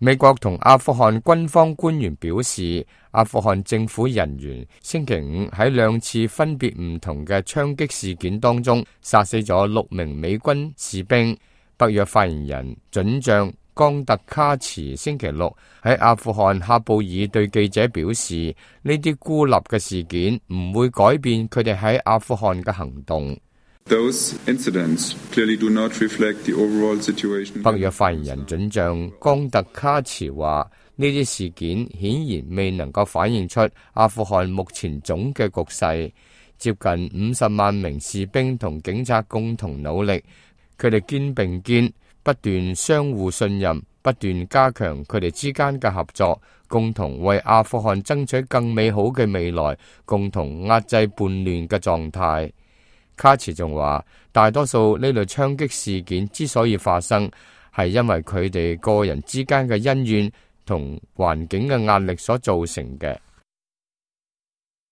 美國同阿富汗軍方官員表示，阿富汗政府人員星期五喺2次分別唔同嘅槍擊事件當中殺死咗6名美軍士兵。北約發言人准將岡特卡茨星期六喺阿富汗喀布爾對記者表示，呢啲孤立嘅事件唔會改變佢哋喺阿富汗嘅行動。北約發言人准將岡特卡茨話，呢啲事件顯然未能夠反映出阿富汗目前總嘅局勢。接近50萬名士兵同警察共同努力，佢哋肩並肩，不斷相互信任，不斷加強佢哋之間嘅合作，共同為阿富汗爭取更美好嘅未來，共同壓制叛亂嘅狀態。卡茨仲話，大多數呢類槍擊事件之所以發生，係因為佢哋個人之間嘅恩怨同環境嘅壓力所造成嘅。